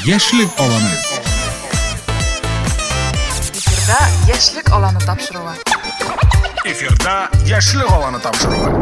Яшьлек аланы. Эфирда Яшьлек аланы тапшыруы. Эфирда Яшьлек аланы тапшыруы.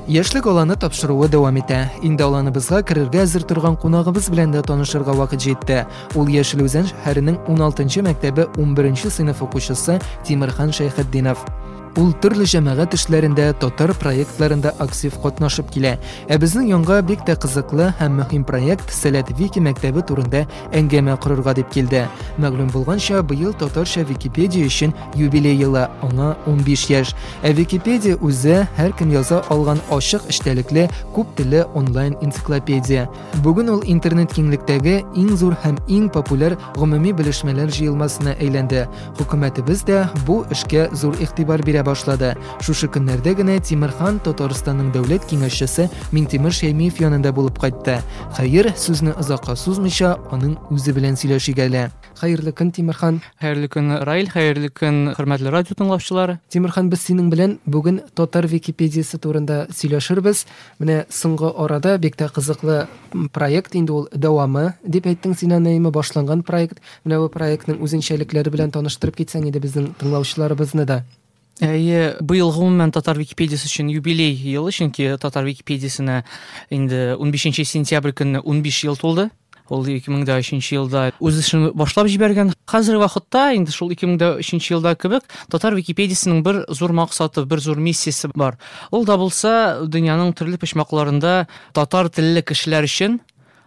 Яшьлек аланы тапшыруы дәвам итә. Инде аланыбызга керергә әзер торган кунагыбыз белән дә танышырга вакыт җитте. Ул Яшел Үзән шәһәренең 16 мәктәбе 11 сыйныф укучысы Тимерхан Шәйхетдинов. Ул төрле җәмәгать эшләрендә, татар проектларында актив катнашып килә. Ә безнең янга бик тә кызыклы һәм мөһим проект Сәләт Вики мәктәбе турында әңгәмә корырга дип килде. Мәгълүм булганча, быел татарча Википедия өчен юбилей елы, аңа 15 яшь. Ә Википедия үзе һәркем яза алган ачык эчтәлекле, күп телле онлайн энциклопедия. Бүген ул интернет киңлектәге иң зур һәм иң популяр гомуми белешмәләр җыелмасына әйләнде. Хөкүмәтебез дә бу эшкә зур игътибар бирә башлады. Шушы көннәрдә генә Тимерхан Татарстанның дәүләт киңәшчесе Миңтимер Шәймиев янында булып кайтты. Хәер, сүзне озакка сузмыйча, аның үзе белән сөйләшик әле. Хәерле көн, Тимерхан. Хәерле көн, Раил, хәерле көн, хөрмәтле радио тыңлаучылар. Тимерхан, без синең белән бүген татар Википедиясе турында сөйләшербез. Менә соңгы арада бик тә кызыклы проект инде ул дәвамы дип әйттең син аны, әйме, башланган проект. Менә бу проектның үзенчәлекләре белән таныштырып китсәң иде безнең тыңлаучыларыбызны да. Әйе, быел гомумән татар Википедиясе өчен юбилей елы, чөнки татар Википедиясенә инде 15 сентябрь көнне 15 ел тулды. Ул 2003 елда үз эшен башлап җибәргән. Хәзерге вакытта инде шул 2003 елда кебек татар Википедиясенең бер зур максаты, бер зур миссиясе бар. Ул да булса дөньяның төрле почмакларында татар телле кешеләр өчен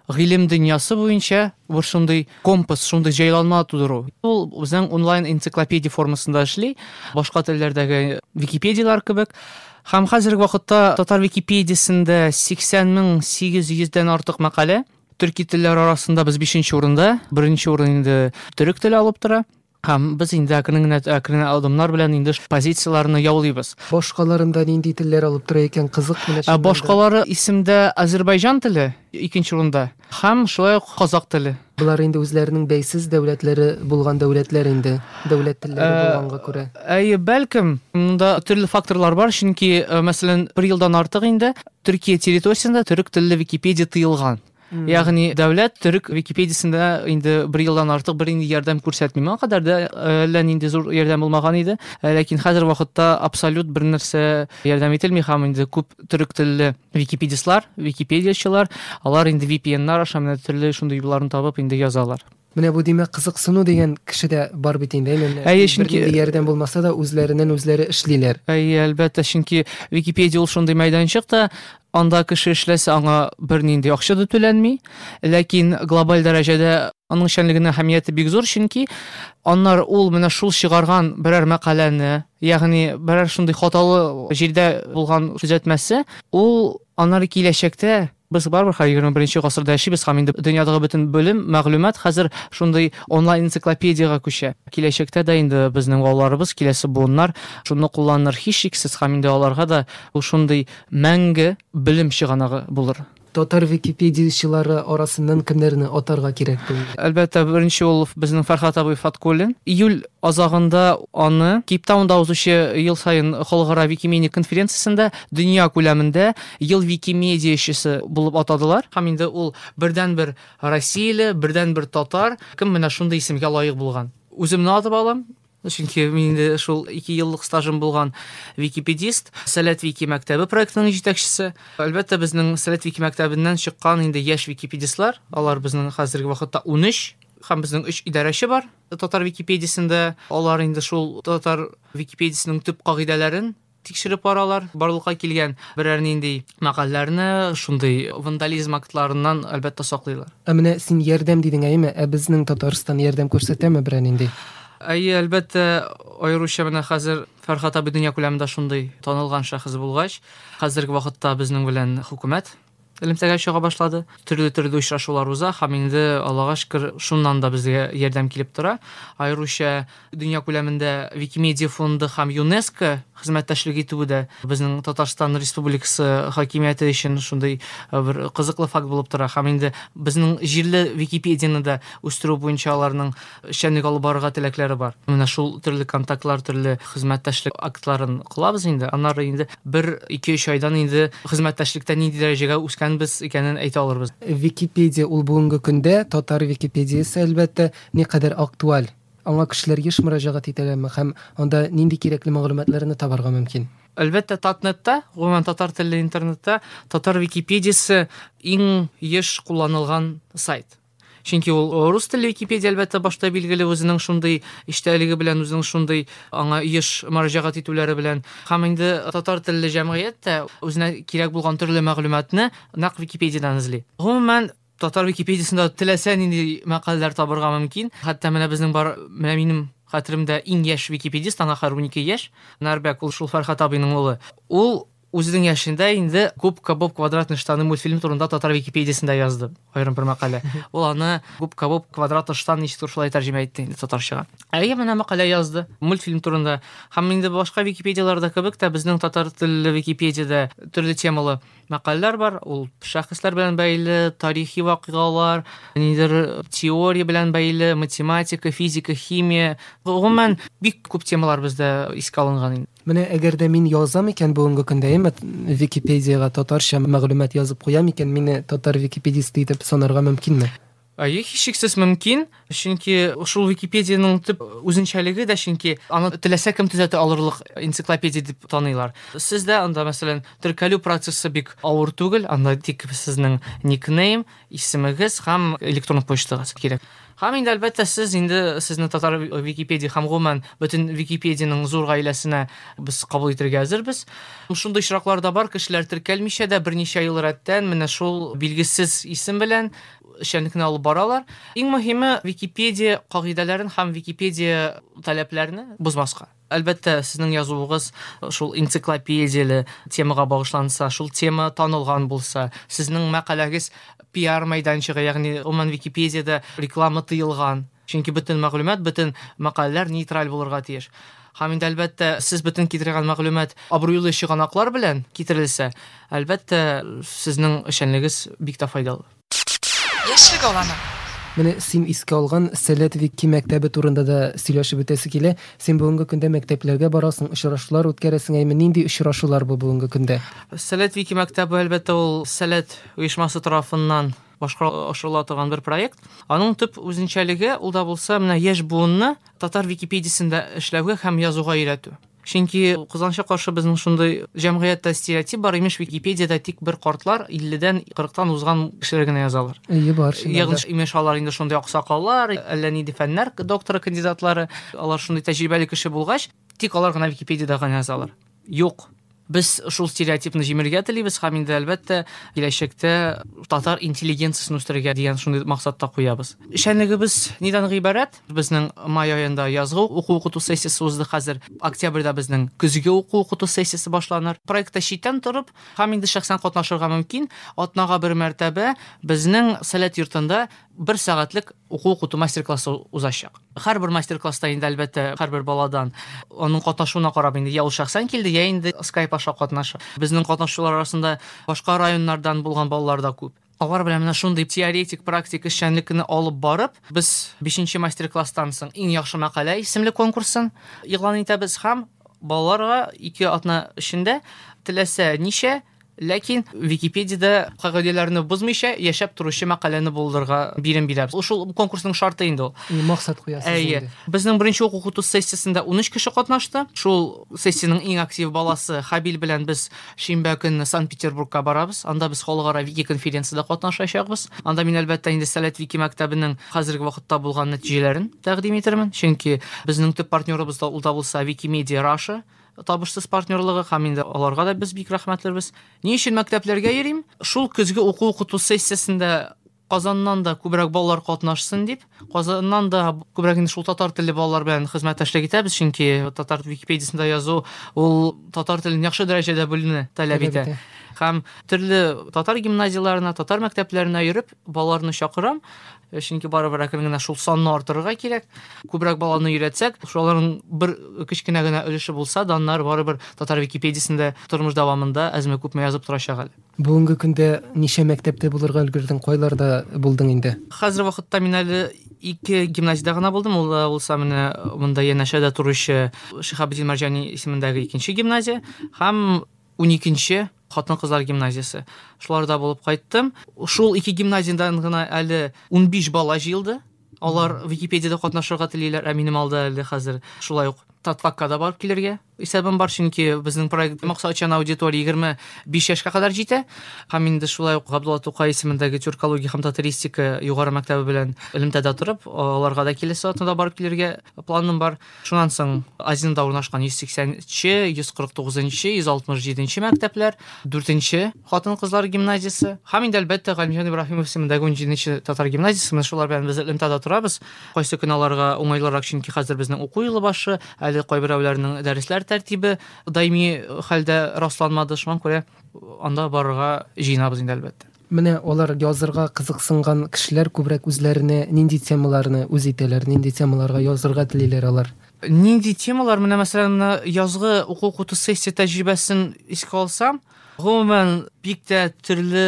гыйлем дөньясы буенча бер шундый компас, шундый җайланма тудыру. Ул үзенең онлайн энциклопедия формасында эшли, башка телләрдәге Википедияләр кебек. Һәм хәзерге вакытта татар Википедиясендә 80 800 дән артык мәкалә. Төрки телләр арасында без 5 урында, беренче урын инде төрек теле алып тора. Һәм без инде әкрен генә, әкрен адымнар белән инде позицияләрне яулыйбыз. Башкаларында нинди телләр алып тора икән, кызык менә чыннан да. Башкалары исемдә Азербайҗан теле икенче урында һәм шулай ук казак теле. Болар инде үзләренең бәйсез дәүләтләре булган дәүләтләр инде, дәүләт телләре булганга күрә. Әйе, бәлкем, монда төрле факторлар бар, чөнки, мәсәлән, бер елдан артык инде Төркия территориясендә төрек телле Википедия тыелган. Ягъни дәүләт төрек Википедиясендә инде бер елдан артык бер инде ярдәм күрсәтми. Моңа кадәр дә әллә нинди зур ярдәм булмаган иде. Ләкин хәзер вакытта абсолют бер нәрсә ярдәм ителми һәм инде күп төрек телле википедистлар, википедиячылар, алар инде VPN-нар аша менә төрле шундый юлларны табып инде язалар. Менә бу димәк кызыксыну дигән кешедә бар бит инде, әйме? Менә Әйе, чөнки бернинди ярдәм булмаса да үзләреннән үзләре эшлиләр. Әйе, әлбәттә, чөнки Википедия ул шундый мәйданчык та, анда кеше эшләсә аңа бернинди акча да түләнми, ләкин глобаль дәрәҗәдә аның эшчәнлегенең әһәмияте бик зур, чөнки аннары ул менә шул чыгарган берәр мәкаләне, ягъни берәр шундый хаталы җирдә булган төзәтмәсе, ул аннары киләчәктә без барыбер хәзер 21 гасырда яшибез һәм инде дөньядагы бөтен белем, мәгълүмат хәзер шундый онлайн энциклопедиягә күчә. Киләчәктә дә инде безнең балаларыбыз, киләсе буыннар шуны кулланыр һичшиксез һәм инде аларга да ул шундый мәңге белем чыганагы булыр. Татар википедиячылары арасыннан кемнәрне атарга кирәк бүгенге? Әлбәттә, беренче ул безнең Фәрхат абый Фаткуллин. Июль азагында аны Кейптаунда узучы ел саен халыкара Викимедиа конференциясендә дөнья күләмендә ел викимедиячесе булып атадылар. Һәм инде ул бердәнбер россияле, бердәнбер татар, кем менә шундый исемгә лаек булган. Үземне атып алам, чөнки мин инде шул 2 еллык стажым булган википедист, Сәләт Вики мәктәбе проектының җитәкчесе. Әлбәттә, безнең Сәләт Вики мәктәбеннән чыккан инде яшь википедистлар, алар безнең хәзерге вакытта 13, һәм безнең 3 идарәче бар татар Википедиясендә. Алар инде шул татар Википедиясенең төп кагыйдәләрен тикшереп баралар. Барлыкка килгән берәр нинди мәкаләләрне шундый вандализм актларыннан әлбәттә саклыйлар. Ә менә син ярдәм дидең, әйеме? Ә безнең Татарстан ярдәм күрсәтәме берәр нинди? Әйе, әлбәттә, аеруча менә хәзер Фәрхат абый дөнья күләмендә шундый танылган шәхес булгач, хәзерге вакытта безнең белән хөкүмәт элемтәгә чыга башлады. Төрле-төрле очрашулар уза һәм инде Аллага шөкер, шуннан да безгә ярдәм килеп тора. Аеруча дөнья күләмендә Викимедиа фонды һәм ЮНЕСКО хезмәттәшлек итүе дә безнең Татарстан Республикасы хакимияте өчен шундый бер кызыклы факт булып тора. Һәм инде безнең җирле Википедияне дә үстерү буенча аларның эшчәнлек алып барырга теләкләре бар. Менә шул төрле контактлар, төрле хезмәттәшлек актларын кылабыз инде. Аннары инде бер, ике, өч айдан инде хезмәттәшлектә нинди дәрәҗәгә үскәнен ирешкәнбез икәнен әйтә алырбыз. Википедия ул бүгенге көндә татар Википедиясе, әлбәттә, никадәр актуаль? Аңа кешеләр еш мөрәҗәгать итәләрме һәм анда нинди кирәкле мәгълүматларны табарга мөмкин? Әлбәттә, Татнетта, гомумән татар телле интернетта татар Википедиясе иң еш кулланылган сайт. Чөнки ул рус телле Википедия, әлбәттә, башта билгеле үзенең шундый эчтәлеге белән, үзенең шундый аңа еш мөрәҗәгать итүләре белән. Һәм инде татар телле җәмгыять тә үзенә кирәк булган төрле мәгълүматны нәкъ Википедиядән эзли. Гомумән, татар Википедиясендә теләсә нинди мәкаләләр табырга мөмкин. Хәтта менә безнең бар, менә минем хәтеремдә иң яшь википедист, аңа хәзер 12 яшь, Нарбәк, ул шул Фәрхат абыйның улы. Ул үзенең яшендә инде Губка Боб квадратный штаны мультфильм турында татар Википедиясендә язды аерым бер мәкалә. Ул аны Губка Боб квадратный штан ничектер шулай тәрҗемә итте инде татарчага. Әйе, менә мәкалә язды мультфильм турында. Һәм инде башка Википедияләрдә кебек тә безнең татар телле Википедиядә төрле темалы мәкаләләр бар. Ул шәхесләр белән бәйле, тарихи вакыйгалар, ниндидер теория белән бәйле, математика, физика, химия. Гомумән, бик күп темалар бездә искә алынган инде. Менә әгәр дә мин язам икән бүгенге көндә, әмма Википедиягә татарча мәгълүмат язып куям икән, мине татар википедисты итеп санарга мөмкинме? Әйе, һичшиксез мөмкин, чөнки шул Википедиянең төп үзенчәлеге дә, чөнки аны теләсә кем төзәтә алырлык энциклопедия дип таныйлар. Сез дә анда, мәсәлән, теркәлү процессы бик авыр түгел, анда тик сезнең никнейм, исемегез һәм электрон почтагыз кирәк. Һәм инде, әлбәттә, сез инде сезне татар Википедия һәм гомумән бөтен Википедиянең зур гаиләсенә без кабул итәргә әзербез. Шундый очраклар да бар, кешеләр теркәлмичә дә берничә ел рәттән менә шул билгесез исем белән эшчәнлекне алып баралар. Иң мөһиме Википедия кагыйдәләрен һәм Википедия таләпләрен бозмаска. Әлбәттә, сезнең язуыгыз шул энциклопедияле темага багышланса, шул тема танылган булса, сезнең мәкаләгез пиар мәйданчыгы, ягъни гомумән Википедиядә реклама тыелган. Чөнки бөтен мәгълүмат, бөтен мәкаләләр нейтраль булырга тиеш. Һәм инде, әлбәттә, сез бөтен китергән мәгълүмат абруйлы чыганаклар белән китерелсә, әлбәттә, сезнең эшчәнлегез бик тә файдалы. Яшьлек аланы. Менә син искә алган Сәләт Вики мәктәбе турында да сөйләшеп үтәсе килә. Син бүгенге көндә мәктәпләргә барасың, очрашулар үткәрәсең. Әйме, нинди очрашулар бу бүгенге көндә? Сәләт Вики мәктәбе, әлбәттә, ул Сәләт оешмасы тарафыннан башкарыла ашырыла торган бер проект. Аның төп үзенчәлеге ул да булса менә яшь буынны татар Википедиясендә эшләүгә һәм язуга өйрәтү. Чөнки кызганычка каршы безнең шундый җәмгыятьтә стереотип бар, имеш Википедиядә тик бер картлар, 50-дән 40-тан узган кешеләр генә язалар. Әйе, бар чыннан да. Ягъни имеш алар инде шундый аксакаллар, әллә нинди фәннәр докторы, кандидатлары, алар шундый тәҗрибәле кеше булгач, тик алар гына Википедиядә генә язалар. Юк. Без шул стереотипны җимерергә телибез һәм инде, әлбәттә, киләчәктә татар интеллигенциясен үстерергә дигән шундый максат та куябыз. Эшчәнлегебез нидән гыйбарәт? Безнең май аенда язгы уку-укыту сессиясе узды, хәзер октябрьдә безнең көзге уку-укыту сессиясе башланыр. Проектта читтән торып һәм инде шәхсән катнашырга мөмкин. Атнага бер мәртәбә безнең Сәләт йортында бер сәгатьлек уку-укыту мастер-классы узачак. Һәрбер мастер-класста инде, әлбәттә, һәрбер баладан аның катнашуына карап инде, я ул шәхсән килде, я инде скайп аша катнаша. Безнең катнашучылар арасында башка районнардан булган балалар да күп. Алар белән менә шундый теоретик, практик эшчәнлекне алып барып, без 5 мастер-класстан соң иң яхшы мәкалә исемле конкурсын игълан итәбез һәм балаларга 2 атна эчендә теләсә ничә, ләкин Википедиядә кагыйдәләрне бозмыйча яшәп торучы мәкаләне булдырырга бирем бирәбез. Ул шул конкурсның шарты инде ул. И, максат куясыз Әйе. инде. Безнең беренче уку-укыту сессиясендә 13 кеше катнашты. Шул сессиянең иң актив баласы Хабил белән без шимбә көнне Санкт-Петербургка барабыз. Анда без халыкара вики конференцияда катнашачакбыз. Анда мин, әлбәттә, инде Сәләт вики мәктәбенең хәзерге вакытта булган нәтиҗәләрен тәкъдим итермен. Чөнки безнең төп партнерыбыз да ул да булса Wikimedia Russia табышсыз партнерлыгы һәм инде аларга да без бик рәхмәтлебез. Ни өчен мәктәпләргә йөрим? Шул көзге уку-укыту сессиясендә Казаннан да күбрәк балалар катнашсын дип, Казаннан да күбрәк инде шул татар телле балалар белән хезмәттәшлек итәбез, чөнки татар Википедиясендә язу ул татар телен яхшы дәрәҗәдә белүне таләп Таләп итә. итә. Һәм төрле татар гимназияләренә, татар мәктәпләренә йөреп балаларны чакырам. Чөнки барыбер әкрен генә шул санны арттырырга кирәк. Күбрәк баланы өйрәтсәк, шуларның бер кечкенә генә өлеше булса да, аннары барыбер татар Википедиясендә тормыш дәвамында әзме-күпме язып торачак әле. Бүгенге көндә ничә мәктәптә булырга өлгердең, кайларда булдың инде? Хәзер вакытта мин әле 2 гимназиядә генә булдым. Ул да булса менә монда янәшәдә торучы Шиһабетдин Мәрҗани исемендәге 2 гимназия һәм 12 Хатын-кызлар гимназиясе. Шуларда булып кайттым. Шул ике гимназиядән гына әле 15 бала җыелды. Алар Википедиядә катнашырга телиләр, ә минем алда әле хәзер шулай ук Татфакка да барып килергә исәбем бар, чөнки безнең проект максатчан аудитория 25 яшькә кадәр җитә. Һәм инде шулай ук Габдулла Тукай исемендәге тюркология һәм татаристика югары мәктәбе белән элемтәдә торып, аларга да киләсе атнада барып килергә планым бар. Шуннан соң Азинда урнашкан 180-нче, 149-нчы, 167-нче мәктәпләр, 4-нче хатын-кызлар гимназиясе һәм инде әлбәттә Галимҗан Ибраһимов исемендәге 17-нче татар гимназиясе. Менә шулар белән без элемтәдә торабыз. Кайсы көн аларга уңайлырак, чөнки хәзер безнең уку елы башы, әле кайберәүләрнең дәресләр тәртибе даими хәлдә расланмады. Шуңа күрә анда барырга җыенабыз инде әлбәттә. Менә алар язырга кызыксынган кешеләр күбрәк үзләренә нинди темаларны үз итәләр, нинди темаларга язырга телиләр алар? Нинди темалар? Менә мәсәлән, менә язгы уку-укыту сессия тәҗрибәсен искә алсам, гомумән бик тә төрле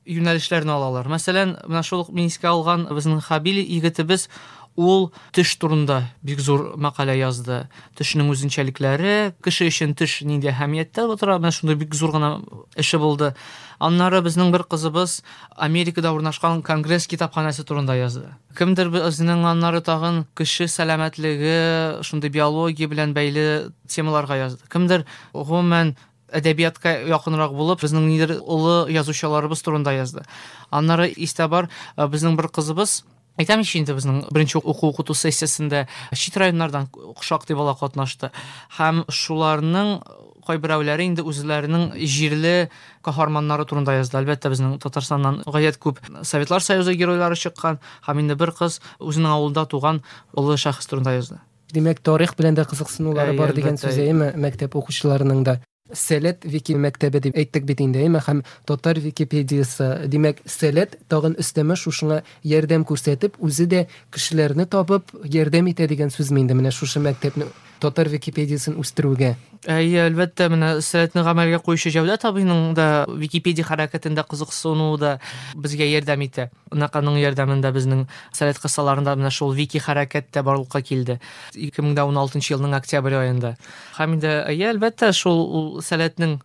юнәлешләрне алалар. Мәсәлән, менә шул ук мин искә алган безнең Хабил егетебез, ул төш турында бик зур мәкалә язды. Төшнең үзенчәлекләре, кеше өчен төш нинди әһәмияттә тора, менә шундый бик зур гына эше булды. Аннары безнең бер кызыбыз Америкада урнашкан Конгресс китапханәсе турында язды. Кемдер безнең аннары тагын кеше сәламәтлеге, шундый биология белән бәйле темаларга язды. Кемдер гомумән әдәбиятка якынрак булып, безнең нидер олы язучыларыбыз турында язды. Аннары истә бар, безнең бер кызыбыз, әйтәм ич инде, безнең беренче уку-укыту сессиясендә чит районнардан шактый бала катнашты. Һәм шуларның кайберәүләре инде үзләренең җирле каһарманнары турында язды. Әлбәттә, безнең Татарстаннан гаять күп Советлар Союзы геройлары чыккан, һәм инде бер кыз үзенең авылында туган олы шәхес турында язды. Димәк, тарих белән дә кызыксынулары бар дигән сүз, әйеме, мәктәп укучыларының да. Сәләт вики мәктәбе дип әйттек бит инде, әйеме, һәм татар Википедиясе. Димәк, Сәләт тагын өстәмә шушыңа ярдәм күрсәтеп, үзе дә кешеләрне табып ярдәм итә дигән сүзме инде менә шушы мәктәпне татар Википедиясен үстерүгә? Әйе, әлбәттә, менә Сәләтне гамәлгә куючы Җәүдәт абыйның да Википедия хәрәкәтендә кызыксынуы да безгә ярдәм итә. Нәкъ аның ярдәмендә безнең Сәләт кысаларында менә шул вики хәрәкәт тә барлыкка килде. 2016 елның октябрь аенда. Һәм инде, әйе, әлбәттә, шул ул Сәләтнең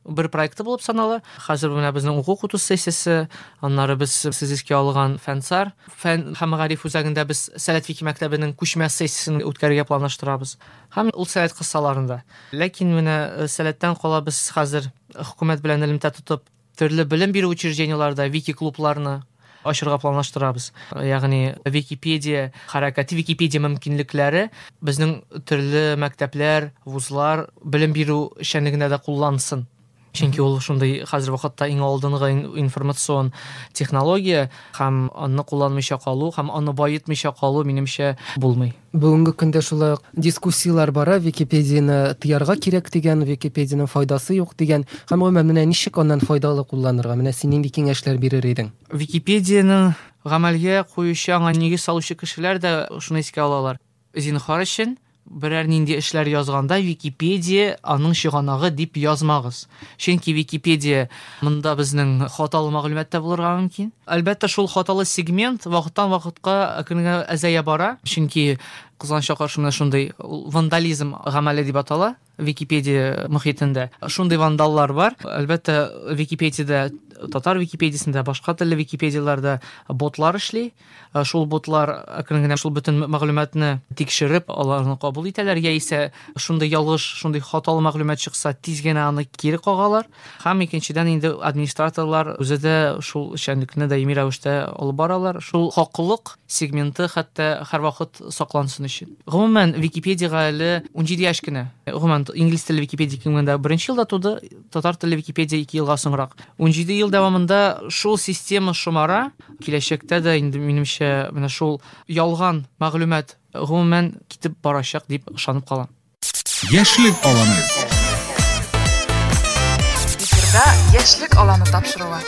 бер проекты булып санала. Хәзер менә безнең уку-укыту сессиясе, аннары без сез искә алган Фәнсар, фән һәм мәгариф үзәгендә без Сәләт вики мәктәбенең күчмә сессиясен үткәрергә планлаштырабыз. Һәм ул Сәләт кысаларында. Ләкин менә Сәләттән кала без хәзер хөкүмәт белән элемтә тотып, төрле белем бирү учреждениеләрдә вики-клубларны ачырга планлаштырабыз. Ягъни Википедия хәрәкәте, Википедия мөмкинлекләре безнең төрле мәктәпләр, вузлар белем бирү эшчәнлегендә дә куллансын. Чөнки ул шундый хәзер вакытта иң алдынгы информацион технология, һәм аны кулланмыйча калу, һәм аны баетмыйча калу, минемчә, булмый. Бүгенге көндә шулай ук дискуссияләр бара, Википедияне тыярга кирәк дигән, Википедиянең файдасы юк дигән. Һәм гомумән, менә ничек аннан файдалы кулланырга? Менә син нинди киңәшләр бирер идең? Википедияне гамәлгә куючы, аңа нигез салучы кешеләр дә шуны искә алалар. Зинһар өчен берәр нинди эшләр язганда Википедия аның чыганагы дип язмагыз. Чөнки Википедия монда безнең хаталы мәгълүмат та булырга мөмкин. Әлбәттә, шул хаталы сегмент вакыттан вакытка әкрен генә әзәя бара. Чөнки кызганычка каршы менә шундый вандализм гамәле дип атала Википедия мохитендә. Шундый вандаллар бар. Әлбәттә, Википедиядә, татар Википедиясендә, башка телле Википедияләрдә ботлар эшли. Шул ботлар әкрен генә шул бөтен мәгълүматны тикшереп, аларны кабул итәләр, яисә шундый ялгыш, шундый хаталы мәгълүмат чыкса, тиз генә аны кире кагалар. Һәм икенчедән инде администраторлар үзе дә шул эшчәнлекне даими рәвештә алып баралар. Шул хаклык сегменты хәтта һәрвакыт саклансын өчен. Гомумән, Википедияга әле 17 яшь кенә. Гомумән, инглиз телле Википедия 2001 елда туды, татар телле Википедия 2 елга соңрак. 17 ел дәвамында шул система шомара, киләчәктә дә инде минемчә менә шул ялган мәгълүмат гомумән китеп барачак дип ышанып калам. Яшьлек аланы. Эфирда Яшьлек аланы тапшыруы.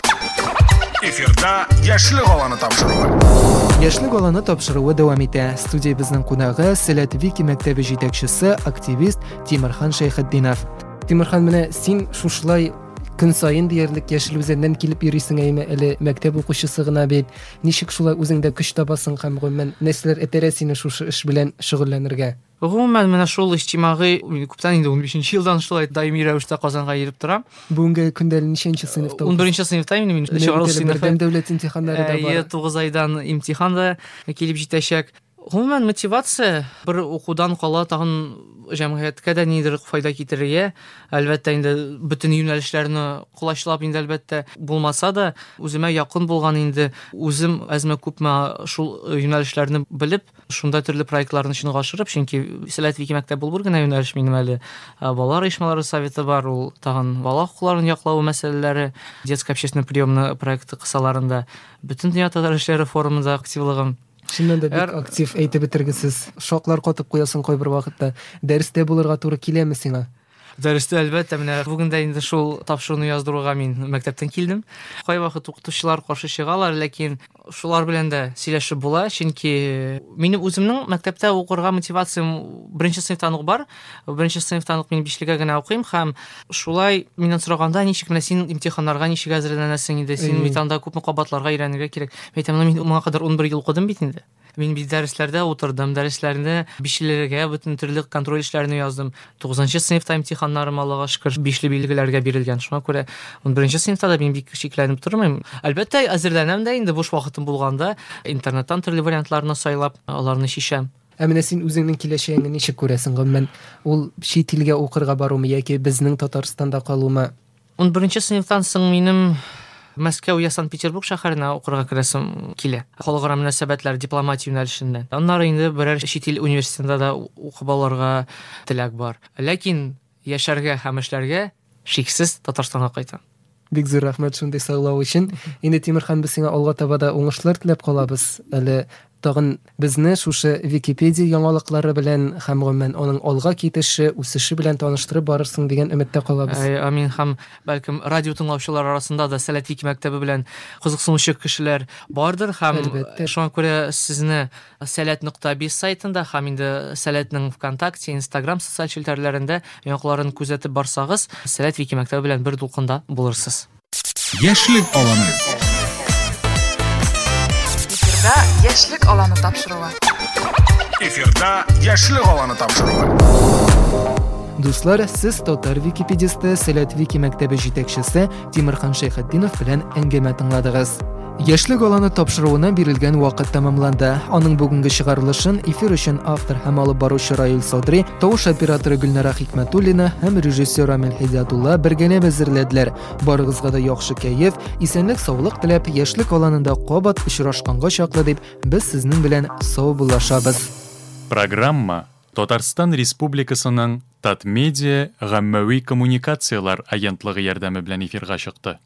Эфирда Яшьлек аланы тапшыруы. Яшьлек аланы тапшыруы дәвам итә. Студиябезнең кунагы Сәләт Вики мәктәбе җитәкчесе, активист Тимерхан Шәйхетдинов. Тимерхан, менә син шушылай Көн саен диярлек Яшел Үзәннән килеп йөрисең әйме, әле мәктәп укучысы гына бит. Ничек шулай үзеңдә көч табасың һәм гомумән нәрсәләр этәрә сине шушы эш белән шөгыльләнергә? Гомумән, менә шул иҗтимагый, күптән инде 15 елдан шулай даими рәвештә Казанга йөреп торам. Бүгенге көндә әле ничәнче сыйныфта укыйсың? 11 сыйныфта инде мин. Чыгарылыш сыйныфы. Бердәм дәүләт имтиханнары да бар. Әйе, 9 айдан имтихан да килеп җитәчәк. Гомумән, мотивация бер укудан кала тагын җәмгыятькә дә нидер файда китерергә, әлбәттә инде бөтен юнәлешләрне колачлап инде әлбәттә булмаса да, үземә якын булган инде үзем әзме-күпме шул юнәлешләрне белеп, шунда төрле проектларны чынга ашырып, чөнки Сәләт Вики мәктәп бул бер генә юнәлеш минем әле. Балалар оешмалары советы бар, ул тагын бала хокукларын яклау мәсьәләләре, детская общественная приемная проекты кысаларында Бөтендөнья татар эшләре форумында активлыгым. Чыннан да бик актив, әйтеп бетергесез. Шаклар катып куясың кайбер вакытта. Дәрестә булырга туры киләме сиңа? Дәрестә, әлбәттә, менә бүген дә инде шул тапшыруны яздыруга мин мәктәптән килдем. Кайвакыт укытучылар каршы чыгалар, ләкин шулар белән дә сөйләшеп була, чөнки минем үземнең мәктәптә укырга мотивациям беренче сыйныфтан ук бар. Беренче сыйныфтан ук мин бишлегә генә укыйм һәм шулай миннән сораганда, ничек менә син имтиханнарга ничек әзерләнәсең инде, син бит анда күпме кабатларга өйрәнергә кирәк. Мин әйтәм, мин моңа кадәр 11 ел укыдым бит инде. Мин бит дәресләрдә утырдым, дәресләрне бишлеләргә, бөтен төрле контроль эшләрне яздым. 9 сыйныфта имтиханнарым, Аллага шөкер, бишле билгеләргә бирелгән. Шуңа күрә 11 сыйныфта да мин бик шикләнеп тормыйм. Әлбәттә, әзерләнәм дә инде буш вакытым булганда, интернеттан төрле вариантларны сайлап, аларны чишәм. Ә менә син үзеңнең киләчәгеңне ничек күрәсең, гомумән, ул чит илгә укырга барумы яки безнең Татарстанда калумы? 11 сыйныфтан соң минем Мәскәү я Санкт-Петербург шәһәренә укырга керәсем килә. Халыкара мөнәсәбәтләр, дипломатия юнәлешеннән. Аннары инде берәр чит ил университетында да укып алырга теләк бар. Ләкин яшәргә һәм эшләргә шиксез Татарстанга кайтам. Бик зур рәхмәт шундый сайлау өчен. Инде Тимерхан, без сиңа алга таба да уңышлар теләп калабыз. Әле Тагын безне шушы Википедия яңалыклары белән һәм гомумән аның алга китеше, үсеше белән таныштырып барырсың дигән өметтә калабыз. Әй, амин һәм бәлкем радио тыңлаучылар арасында да Сәләт Вики мәктәбе белән кызыксынучы кешеләр бардыр һәм Әлбәттә. шуңа күрә сезне Сәләт нокта биз сайтында һәм инде Сәләтнең ВКонтакте, Инстаграм социаль челтәрләрендә яңалыкларын күзәтеп барсагыз, Сәләт Вики мәктәбе белән бер дулкында булырсыз. Яшьлек аланы. Эфирда Яшьлек аланы тапшыруы. Эфирда Яшьлек аланы тапшыруы. Дуслар, сез татар википедисты, Сәләт Вики мәктәбе җитәкчесе Тимерхан Шәйхетдинов белән әңгәмә тыңладыгыз. Яшьлек аланы тапшыруына бирелгән вакыт тәмамланды. Аның бүгенге чыгарылышын эфир өчен автор һәм алып баручы Раил Садри, тавыш операторы Гөлнара Хикмәтуллина һәм режиссер Рамил Һидиятулла бергәләп әзерләделәр. Барыгызга да яхшы кәеф, исәнлек-саулык теләп, Яшьлек аланында кабат очрашканга чаклы дип, без сезнең белән саубуллашабыз. Программа Татарстан Республикасының Татмедиа гаммәви коммуникацияләр агентлыгы ярдәме белән эфирга чыкты.